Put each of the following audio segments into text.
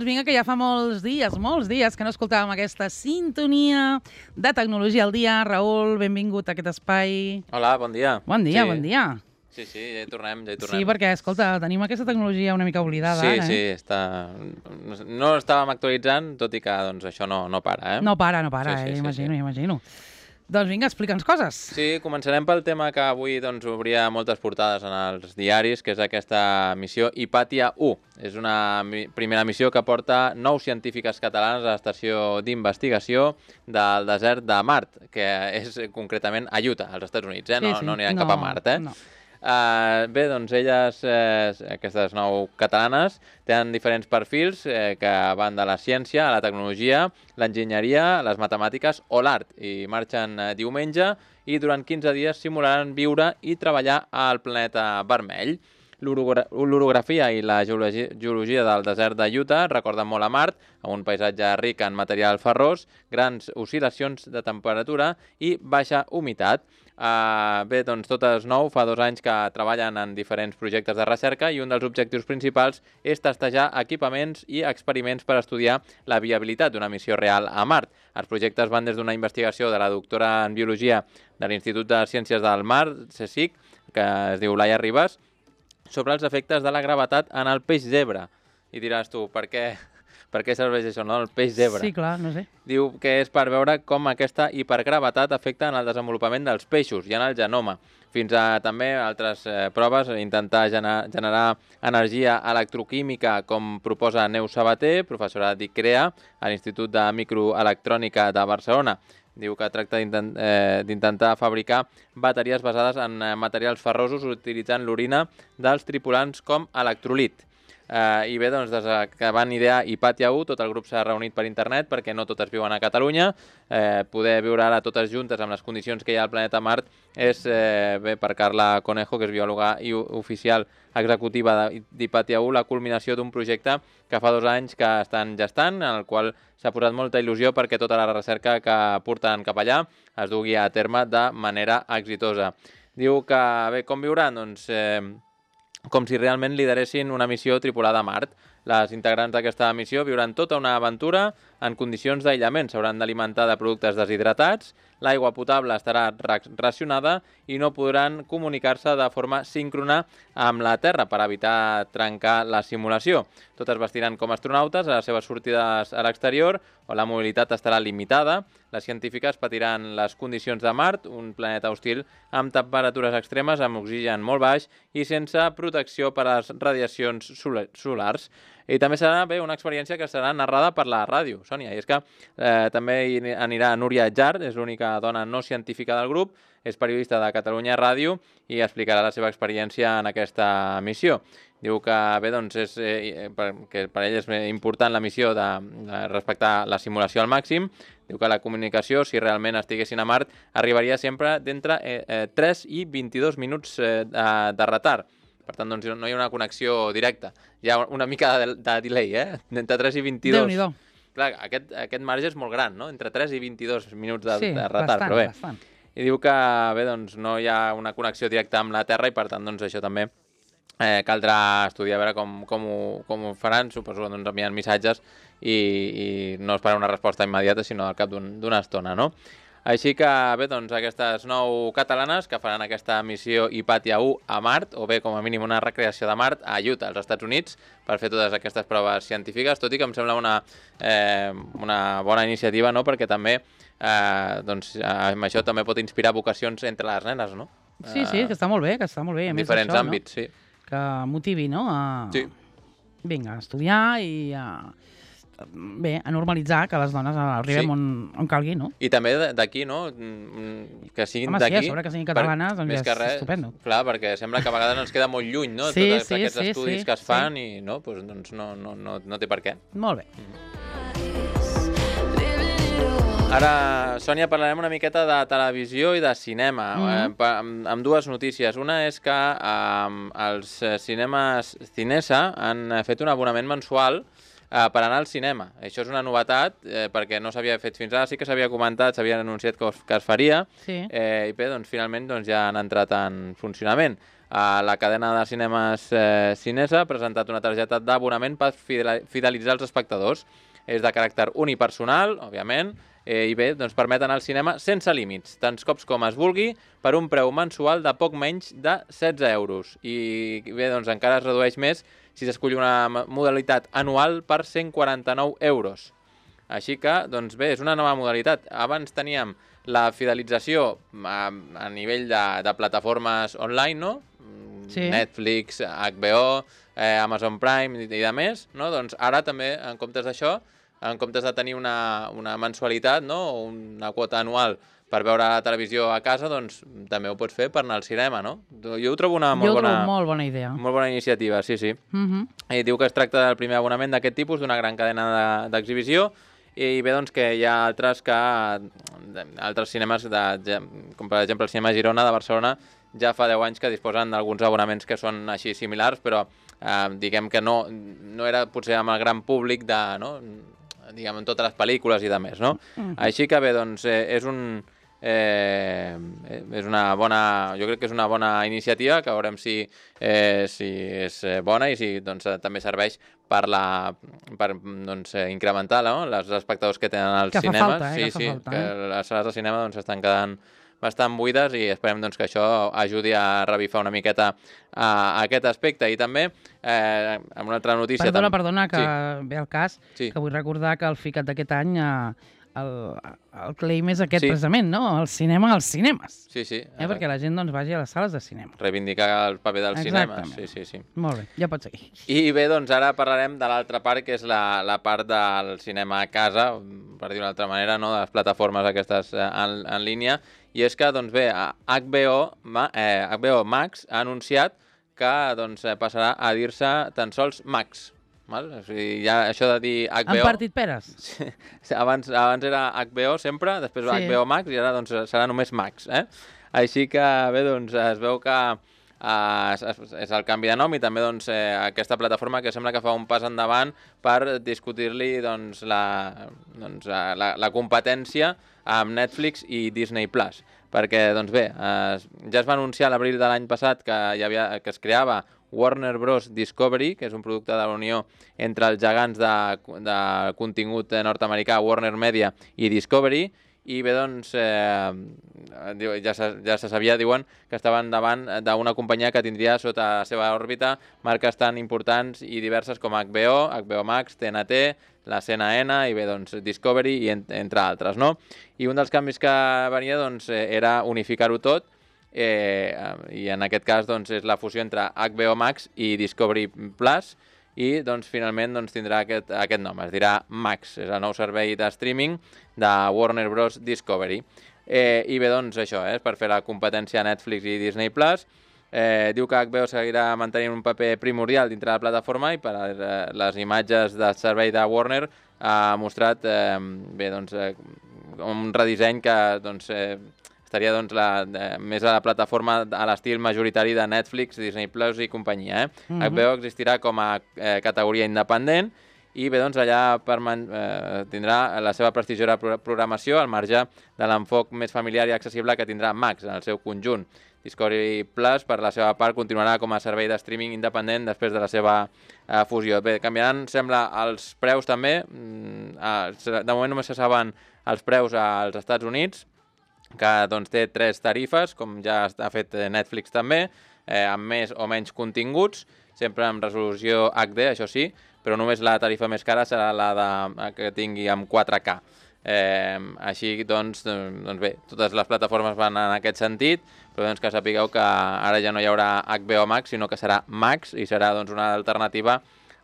vinga, que ja fa molts dies que no escoltàvem aquesta sintonia de Tecnologia al dia. Raül, benvingut a aquest espai. Hola, bon dia. Bon dia, bon dia. Sí, ja hi tornem, Sí, perquè, escolta, tenim aquesta tecnologia una mica oblidada ara, Sí, no estàvem actualitzant, tot i que doncs, això no para, No para, imagino. Doncs vinga, explica'ns coses. Sí, començarem pel tema que avui obria moltes portades en els diaris, que és aquesta missió Hipàtia 1. És una primera missió que porta 9 científiques catalanes a l'estació d'investigació del desert de Mart, que és concretament a Utah, als Estats Units, no aniran cap a Mart, No. Bé, doncs elles, aquestes 9 catalanes, tenen diferents perfils que van de la ciència a la tecnologia, l'enginyeria, les matemàtiques o l'art, i marxen diumenge i durant 15 dies simularan viure i treballar al planeta vermell. L'orografia i la geologia del desert de Utah recorden molt a Mart, amb un paisatge ric en material ferrós, grans oscil·lacions de temperatura i baixa humitat. Bé, doncs totes 9 fa 2 anys que treballen en diferents projectes de recerca i un dels objectius principals és testejar equipaments i experiments per estudiar la viabilitat d'una missió real a Mart. Els projectes van des d'una investigació de la doctora en Biologia de l'Institut de Ciències del Mar, CSIC, que es diu Laia Ribas, sobre els efectes de la gravetat en el peix zebra. I diràs tu, per què serveix això, no? El peix zebra. Sí, clar, no sé. Diu que és per veure com aquesta hipergravetat afecta en el desenvolupament dels peixos i en el genoma. Fins a també altres proves, intentar generar energia electroquímica, com proposa Neus Sabater, professora d'ICREA, a l'Institut de Microelectrònica de Barcelona. Diu que tracta d'intentar fabricar bateries basades en materials ferrosos utilitzant l'orina dels tripulants com electrolit. I bé, doncs, des que van idear Hipàtia 1, tot el grup s'ha reunit per internet perquè no totes viuen a Catalunya. Poder viure ara totes juntes amb les condicions que hi ha al planeta Mart és, bé, per Carla Conejo, que és biòloga i oficial executiva d'Hipàtia 1, la culminació d'un projecte que fa 2 anys que estan gestant, en el qual s'ha posat molta il·lusió perquè tota la recerca que porten cap allà es dugui a terme de manera exitosa. Diu que, bé, com viuran? Doncs com si realment lideressin una missió tripulada a Mart. Les integrants d'aquesta missió viuran tota una aventura en condicions d'aïllament. S'hauran d'alimentar de productes deshidratats, l'aigua potable estarà racionada i no podran comunicar-se de forma síncrona amb la Terra per evitar trencar la simulació. Totes vestiran com astronautes a les seves sortides a l'exterior, on la mobilitat estarà limitada. Les científiques patiran les condicions de Mart, un planeta hostil amb temperatures extremes, amb oxigen molt baix i sense protecció per a les radiacions solars. I també serà una experiència que serà narrada per la ràdio, Sònia. I és que també hi anirà Núria Jar, és l'única dona no científica del grup, és periodista de Catalunya Ràdio i explicarà la seva experiència en aquesta missió. Diu que bé, doncs que per ell és important la missió de respectar la simulació al màxim. Diu que la comunicació, si realment estiguessin a Mart, arribaria sempre d'entre 3 i 22 minuts de retard. Per tant, doncs, no hi ha una connexió directa. Hi ha una mica de delay, entre 3 i 22. Déu-n'hi-do. Clar, aquest marge és molt gran, no? Entre 3 i 22 minuts de retard. Bastant, però bé. bastant. I diu que bé, doncs, no hi ha una connexió directa amb la Terra i, per tant, doncs, això també caldrà estudiar a veure com ho faran. Suposo que envien missatges i no esperar una resposta immediata, sinó al cap d'una estona, no? Així que, bé, doncs, aquestes 9 catalanes que faran aquesta missió Hipàtia 1 a Mart, o bé, com a mínim, una recreació de Mart a Utah, als Estats Units, per fer totes aquestes proves científiques, tot i que em sembla una bona iniciativa, no?, perquè també, doncs, amb això també pot inspirar vocacions entre les nenes, no? Sí, que està molt bé, En diferents àmbits, sí. Que motivi, no?, Sí. Vinga, a estudiar i a normalitzar que les dones arribem on calgui, no? I també d'aquí, no? Que siguin d'aquí. Home, sí, a sobre que siguin catalanes, doncs ja és estupendo. Clar, perquè sembla que a vegades ens queda molt lluny, no? Tots aquests estudis que es fan i no, doncs no té per què. Molt bé. Ara, Sònia, parlarem una miqueta de televisió i de cinema, amb 2 notícies. Una és que els cinemes Cinesa han fet un abonament mensual per anar al cinema. Això és una novetat, perquè no s'havia fet fins ara, sí que s'havia comentat, s'havia anunciat que es faria, i bé, doncs finalment ja han entrat en funcionament. La cadena de cinemes Cinesa ha presentat una targeta d'abonament per fidelitzar els espectadors. És de caràcter unipersonal, òbviament, i bé, doncs permet anar al cinema sense límits, tants cops com es vulgui, per un preu mensual de poc menys de 16 euros. I bé, doncs encara es redueix més si s'escull una modalitat anual per 149 euros. Així que, doncs bé, és una nova modalitat. Abans teníem la fidelització a nivell de plataformes online, no? Sí. Netflix, HBO, Amazon Prime i de més, no? Doncs ara també, en comptes d'això, en comptes de tenir una mensualitat, no? O una quota anual per veure la televisió a casa, doncs també ho pots fer per anar al cinema, no? Jo ho trobo una molt bona idea. Molt bona iniciativa, sí. I diu que es tracta del primer abonament d'aquest tipus, d'una gran cadena d'exhibició, i bé, doncs que hi ha altres cinemes, com per exemple el cinema Girona de Barcelona, ja fa 10 anys que disposen d'alguns abonaments que són així similars, però diguem que no era potser amb el gran públic diguem, en totes les pel·lícules i de més, no? Així que bé, doncs és una bona, jo crec que és una bona iniciativa, que veurem si és bona i si doncs, també serveix per incrementar els espectadors que tenen als cinemes. Que fa falta. Que les sales de cinema doncs, estan quedant bastant buides i esperem doncs, que això ajudi a revifar una miqueta aquest aspecte. I també, amb una altra notícia... Perdona, que ve el cas, que vull recordar que el FICAT d'aquest any, el claim és aquest precisament, no? El cinema als cinemes. Sí. Perquè la gent doncs, vagi a les sales de cinema. Reivindicar el paper dels cinemes. Sí. Molt bé, ja pots seguir. I bé, doncs ara parlarem de l'altra part, que és la part del cinema a casa, per dir-ho d'una altra manera, no? De les plataformes aquestes en línia. I és que, doncs bé, HBO Max ha anunciat que doncs, passarà a dir-se tan sols Max. Val? O sigui, ja això de dir HBO... Han partit peres? Sí, abans era HBO sempre, després va HBO Max i ara doncs, serà només Max. Així que bé, doncs, es veu que és el canvi de nom i també doncs, aquesta plataforma que sembla que fa un pas endavant per discutir-li doncs, la competència amb Netflix i Disney+. Perquè, doncs bé, ja es va anunciar a l'abril de l'any passat que es creava Warner Bros. Discovery, que és un producte de la unió entre els gegants de contingut nord-americà, Warner Media i Discovery, i bé, doncs, ja se sabia, diuen, que estaven davant d'una companyia que tindria sota la seva òrbita marques tan importants i diverses com HBO Max, TNT, la CNN i bé, doncs, Discovery, i entre altres, no? I un dels canvis que venia doncs, era unificar-ho tot, i en aquest cas doncs, és la fusió entre HBO Max i Discovery Plus, i doncs, finalment doncs, tindrà aquest nom, es dirà Max, és el nou servei de streaming de Warner Bros. Discovery. I bé, doncs això, és per fer la competència a Netflix i Disney+. Diu que HBO seguirà mantenint un paper primordial dintre la plataforma i per les imatges del servei de Warner ha mostrat bé, doncs, un redisseny que doncs, estaria doncs, més a la plataforma a l'estil majoritari de Netflix, Disney Plus i companyia. HBO existirà com a categoria independent i bé, doncs, allà tindrà la seva prestigiosa programació al marge de l'enfoc més familiar i accessible que tindrà Max en el seu conjunt. Discovery Plus, per la seva part, continuarà com a servei de streaming independent després de la seva fusió. Bé, canviaran, sembla, els preus també. De moment només se saben els preus als Estats Units, que doncs, té 3 tarifes, com ja ha fet Netflix també, amb més o menys continguts, sempre amb resolució HD, això sí, però només la tarifa més cara serà la que tingui amb 4K. Així doncs bé, totes les plataformes van en aquest sentit, però doncs que sapigueu que ara ja no hi haurà HBO Max, sinó que serà Max i serà doncs, una alternativa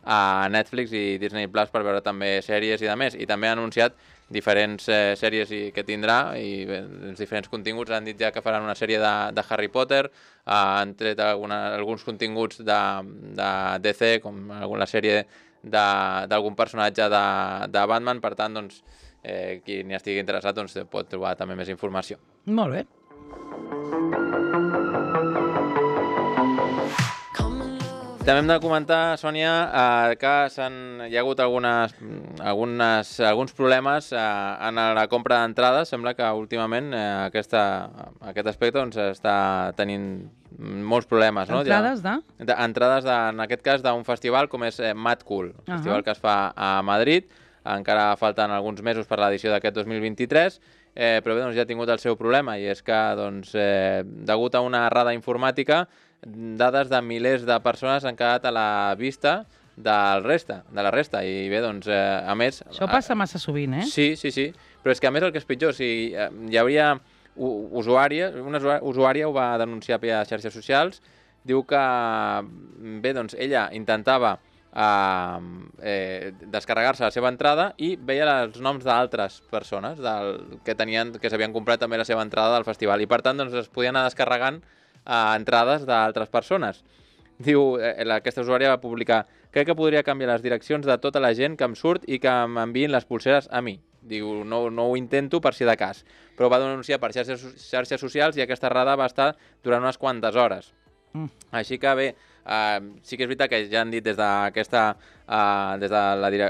a Netflix i Disney Plus per veure també sèries i de més. I també ha anunciat diferents sèries que tindrà i els diferents continguts. Han dit ja que faran una sèrie de Harry Potter, han tret alguns continguts de DC, com la sèrie d'algun personatge de Batman. Per tant, doncs, qui n'hi estigui interessat doncs, pot trobar també més informació. Molt bé. També hem de comentar, Sònia, que hi ha hagut alguns problemes en la compra d'entrades. Sembla que últimament aquest aspecte està tenint molts problemes. Entrades de? Entrades, en aquest cas, d'un festival com és Mad Cool, festival que es fa a Madrid. Encara falten alguns mesos per l'edició d'aquest 2023, però bé, ja ha tingut el seu problema, i és que, degut a una errada informàtica, dades de milers de persones han quedat a la vista de la resta. I bé, a més... Això passa massa sovint, eh? Sí. Però és que a més el que és pitjor, hi hauria una usuària ho va denunciar per xarxes socials, diu que, bé, ella intentava descarregar-se la seva entrada i veia els noms d'altres persones que s'havien comprat també la seva entrada del festival, i per tant es podien anar descarregant entrades d'altres persones. Diu, aquesta usuària va publicar: crec que podria canviar les direccions de tota la gent que em surt i que m'enviïn les pulseres a mi. Diu, no ho intento per si de cas, però va denunciar per xarxes socials, i aquesta errada va estar durant unes quantes hores. Així que bé, sí que és veritat que ja han dit des de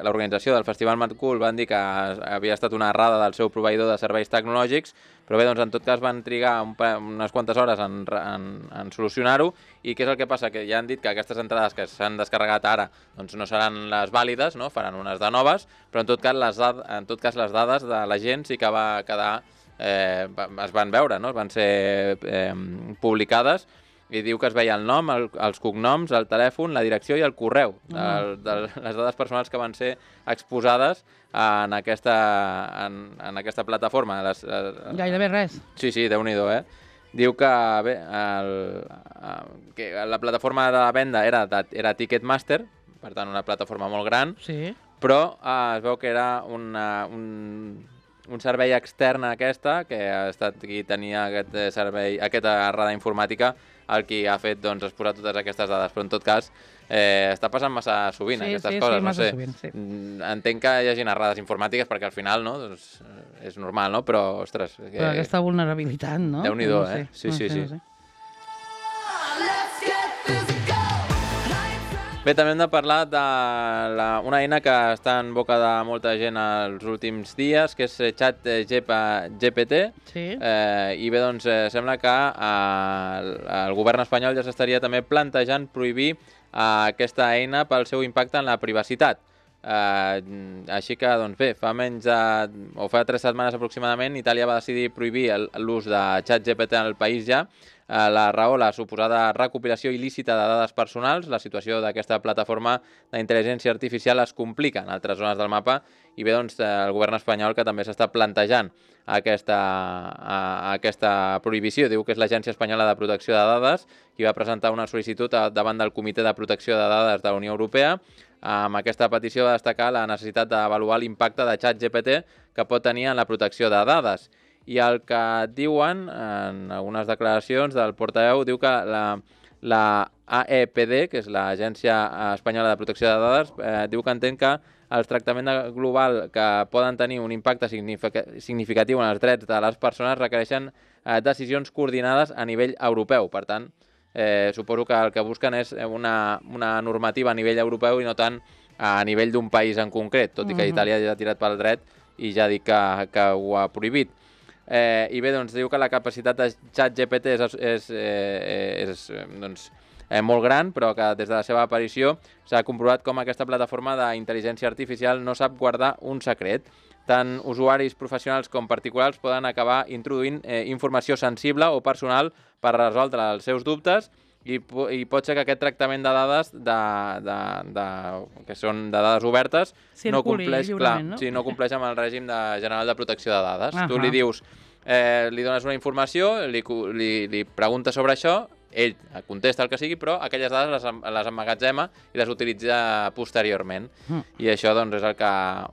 l'organització del Festival Mad Cool, van dir que havia estat una errada del seu proveïdor de serveis tecnològics, però bé, en tot cas van trigar unes quantes hores en solucionar-ho. I què és el que passa? Que ja han dit que aquestes entrades que s'han descarregat ara no seran les vàlides, faran unes de noves, però en tot cas les dades de la gent sí que va quedar, es van veure, van ser publicades, i diu que es veia el nom, els cognoms, el telèfon, la direcció i el correu de les dades personals que van ser exposades en aquesta plataforma. Gairebé res. Sí, Déu-n'hi-do, eh? Diu que bé, que la plataforma de venda era Ticketmaster, per tant una plataforma molt gran, però es veu que era un servei extern a aquesta, que ha estat qui tenia aquesta errada informàtica, el qui ha fet exposar totes aquestes dades. Però en tot cas està passant massa sovint aquestes coses. Sí, massa sovint, sí. Entenc que hi hagin errades informàtiques perquè al final és normal, però ostres... Però aquesta vulnerabilitat, no? Déu-n'hi-do, eh? Sí. Bé, també hem de parlar d'una eina que està en boca de molta gent els últims dies, que és ChatGPT. I bé, sembla que el govern espanyol ja s'estaria també plantejant prohibir aquesta eina pel seu impacte en la privacitat. Així que, bé, fa 3 setmanes aproximadament, Itàlia va decidir prohibir l'ús de ChatGPT en el país ja. La raó, la suposada recopilació il·lícita de dades personals. La situació d'aquesta plataforma d'intel·ligència artificial es complica en altres zones del mapa, i bé, el govern espanyol que també s'està plantejant aquesta prohibició. Diu que és l'Agència Espanyola de Protecció de Dades qui va presentar una sol·licitud davant del Comitè de Protecció de Dades de la Unió Europea. Amb aquesta petició va destacar la necessitat d'avaluar l'impacte de ChatGPT que pot tenir en la protecció de dades. I el que diuen en algunes declaracions del portaveu, diu que la AEPD, que és l'Agència Espanyola de Protecció de Dades, diu que entén que el tractament global que poden tenir un impacte significatiu en els drets de les persones requereixen decisions coordinades a nivell europeu. Per tant, suposo que el que busquen és una normativa a nivell europeu i no tant a nivell d'un país en concret, tot i que Itàlia ja ha tirat pel dret i ja ha dit que ho ha prohibit. I bé, diu que la capacitat de ChatGPT és molt gran, però que des de la seva aparició s'ha comprovat com aquesta plataforma d'intel·ligència artificial no sap guardar un secret. Tant usuaris professionals com particulars poden acabar introduint informació sensible o personal per resoldre els seus dubtes, i pot ser que aquest tractament de dades que són de dades obertes no compleix amb el règim general de protecció de dades. Tu li dius, li dones una informació, li preguntes sobre això, ell contesta el que sigui, però aquelles dades les emmagatzema i les utilitza posteriorment. I això és el que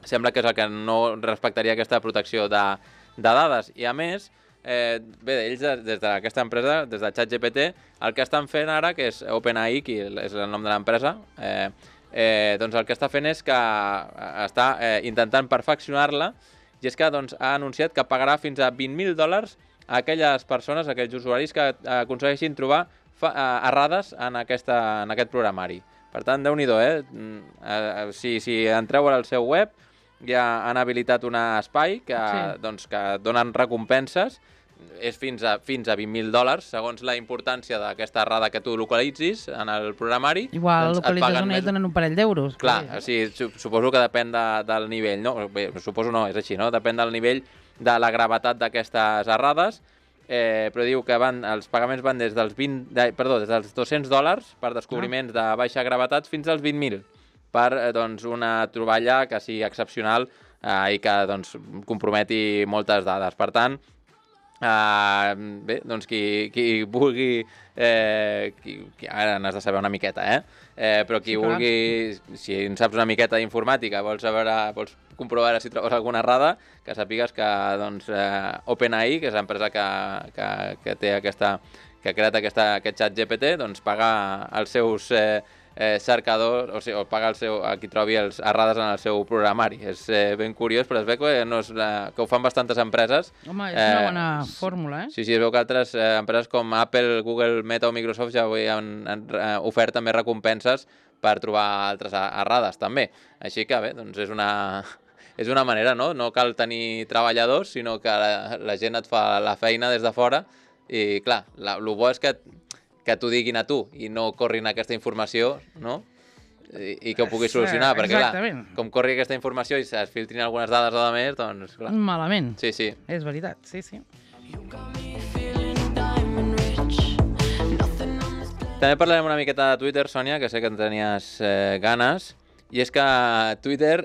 sembla que és el que no respectaria aquesta protecció de dades. I a més, bé, ells des d'aquesta empresa, des de ChatGPT, el que estan fent ara, que és OpenAI, que és el nom de l'empresa, el que està fent és que està intentant perfeccionar-la, i és que ha anunciat que pagarà fins a $20.000 a aquelles persones, a aquells usuaris que aconsegueixin trobar errades en aquest programari. Per tant, Déu-n'hi-do, Si entreu al seu web, ja han habilitat un espai que donen recompenses, és fins a $20.000, segons la importància d'aquesta errada que tu localitzis en el programari. Igual localitzes una i et donen un parell d'euros. Clar, suposo que depèn del nivell, no? Bé, suposo no, és així, no? Depèn del nivell de la gravetat d'aquestes errades, però diu que els pagaments van des dels $200 per descobriments de baixa gravetat fins als 20.000 per una troballa que sigui excepcional i que comprometi moltes dades. Per tant, bé, doncs qui vulgui, ara n'has de saber una miqueta, però qui vulgui, si en saps una miqueta d'informàtica, vols comprovar si trobes alguna errada, que sàpigues que OpenAI, que és l'empresa que té que ha creat aquest xat GPT, doncs paga els seus cercadors, o sigui, paga a qui trobi les errades en el seu programari. És ben curiós, però es veu que ho fan bastantes empreses. Home, és una bona fórmula, Sí, es veu que altres empreses com Apple, Google, Meta o Microsoft ja han ofert també recompenses per trobar altres errades, també. Així que, bé, doncs és una manera, no? No cal tenir treballadors, sinó que la gent et fa la feina des de fora i, clar, el bo és que t'ho diguin a tu i no corrin aquesta informació, no? I que ho puguis solucionar, perquè, clar, com corri aquesta informació i es filtrin algunes dades o de més, doncs, clar. Malament. Sí. És veritat, sí. També parlarem una miqueta de Twitter, Sònia, que sé que en tenies ganes, i és que Twitter,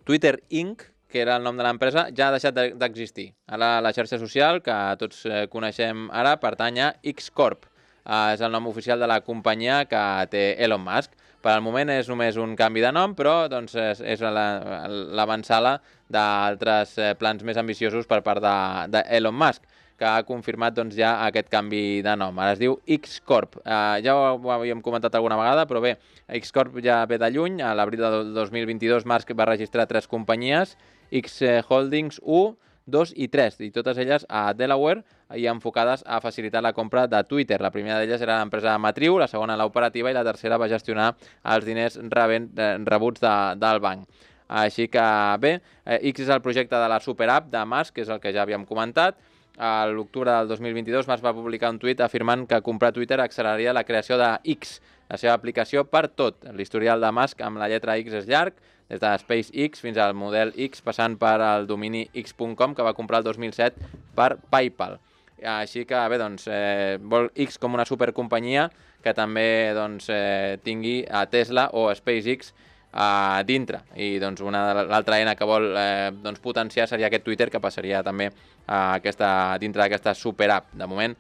Twitter Inc., que era el nom de l'empresa, ja ha deixat d'existir. Ara la xarxa social, que tots coneixem ara, pertany a X Corp. És el nom oficial de la companyia que té Elon Musk. Per al moment és només un canvi de nom, però és l'avançala d'altres plans més ambiciosos per part d'Elon Musk, que ha confirmat ja aquest canvi de nom. Ara es diu X Corp. Ja ho havíem comentat alguna vegada, però bé, X Corp ja ve de lluny. A l'abril del 2022 Musk va registrar 3 companyies, X Holdings 1, 2 i 3, i totes elles a Delaware i enfocades a facilitar la compra de Twitter. La primera d'elles era l'empresa matriu, la segona l'operativa i la tercera va gestionar els diners rebuts del banc. Així que bé, X és el projecte de la superapp de Musk, que és el que ja havíem comentat. A l'octubre del 2022 Musk va publicar un tuit afirmant que comprar Twitter acceleraria la creació de X, la seva aplicació per tot. L'historial de Musk amb la lletra X és llarg, des de SpaceX fins al model X, passant per el domini x.com, que va comprar el 2007 per PayPal. Així que bé, doncs, vol X com una supercompanyia que també tingui a Tesla o a SpaceX dintre. I doncs l'altra eina que vol potenciar seria aquest Twitter, que passaria també dintre d'aquesta superapp. De moment,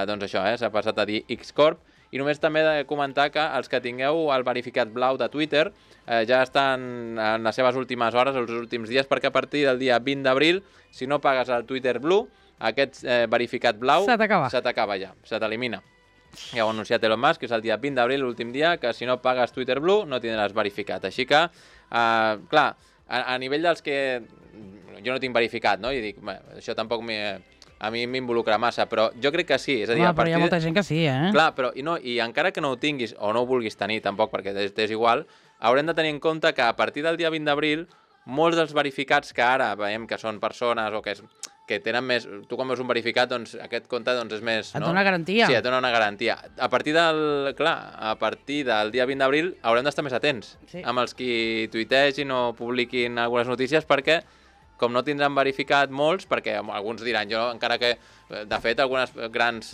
doncs això, s'ha passat a dir X Corp. I només també he de comentar que els que tingueu el verificat blau de Twitter ja estan en les seves últimes hores, els últims dies, perquè a partir del dia 20 d'abril, si no pagues el Twitter Blue, aquest verificat blau se t'acaba ja, se t'elimina. Ja ho ha anunciat Elon Musk, que és el dia 20 d'abril, l'últim dia, que si no pagues Twitter Blue no tindràs verificat. Així que, clar, a nivell dels que jo no tinc verificat, no? I dic, això tampoc a mi m'involucra massa, però jo crec que sí. És a dir, però hi ha molta gent que sí, Clar, però i encara que no ho tinguis, o no ho vulguis tenir tampoc, perquè t'és igual, haurem de tenir en compte que a partir del dia 20 d'abril, molts dels verificats que ara veiem que són persones o que tenen més... Tu quan veus un verificat, doncs aquest compte és més... Et dona garantia. Sí, et dona una garantia. A partir del dia 20 d'abril haurem d'estar més atents amb els qui tuitegin o publiquin algunes notícies, perquè com no tindran verificat molts, perquè alguns diran, jo encara que, de fet, algunes grans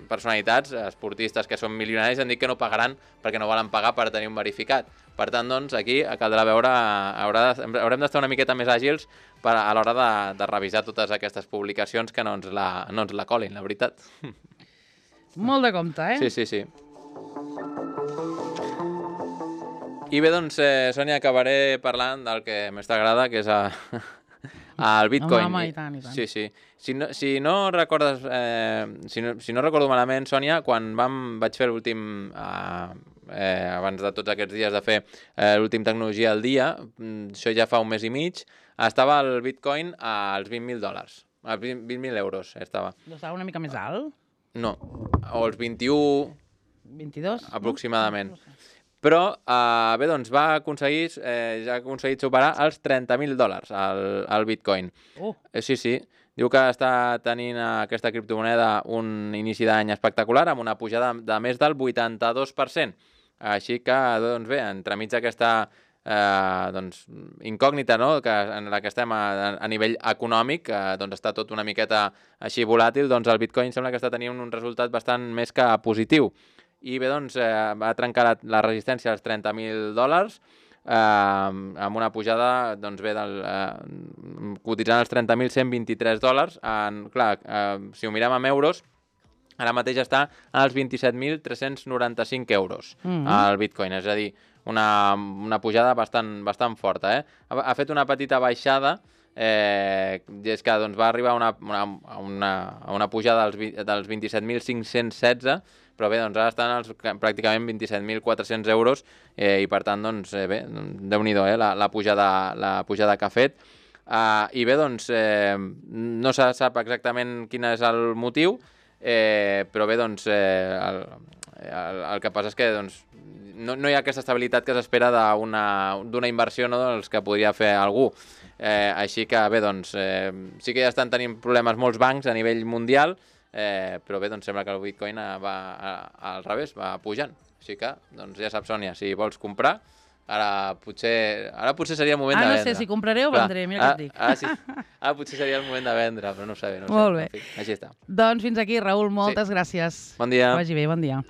personalitats, esportistes que són milionaris, han dit que no pagaran perquè no volen pagar per tenir un verificat. Per tant, doncs, aquí caldrà veure, haurem d'estar una miqueta més àgils a l'hora de revisar totes aquestes publicacions que no ens la colin, la veritat. Molt de compte, Sí. I bé, doncs, Sònia, acabaré parlant del que més t'agrada, que és el Bitcoin. Home, i tant. Sí. Si no recordes, si no recordo malament, Sònia, quan vaig fer l'últim, abans de tots aquests dies de fer l'últim Tecnologia al dia, això ja fa un mes i mig, estava el Bitcoin als $20.000, a $20.000 estava. Estava una mica més alt? No, o els 21... 22? Aproximadament. No? Però, bé, doncs ja ha aconseguit superar els $30.000 al Bitcoin. Sí. Diu que està tenint aquesta criptomoneda un inici d'any espectacular amb una pujada de més del 82%. Així que, doncs bé, entremig d'aquesta incògnita, no?, en la que estem a nivell econòmic, doncs està tot una miqueta així volàtil, doncs el Bitcoin sembla que està tenint un resultat bastant més que positiu. I bé, doncs va trencar la resistència als $30.000 amb una pujada, doncs bé, cotitzant els $30.123. Clar, si ho mirem en euros, ara mateix està als 27.395 euros el Bitcoin, és a dir, una pujada bastant forta. Ha fet una petita baixada, i és que doncs, va arribar a una pujada dels 27.516, però bé, doncs ara estan pràcticament 27.400 euros i per tant, doncs bé, Déu-n'hi-do, la pujada que ha fet. I bé, doncs no se sap exactament quin és el motiu, però bé, doncs el que passa és que doncs, no hi ha aquesta estabilitat que s'espera d'una inversió, no?, dels que podria fer algú. Així que bé, doncs sí que ja estan tenint problemes molts bancs a nivell mundial, però bé, doncs sembla que el Bitcoin va al revés, va pujant. Així que, doncs ja saps, Sònia, si vols comprar, ara potser seria el moment de vendre. No sé si compraré o vendré, mira què et dic. Sí. Ara potser seria el moment de vendre, però no ho sé. Molt bé. Així està. Doncs fins aquí, Raül, moltes gràcies. Bon dia. Que vagi bé, bon dia.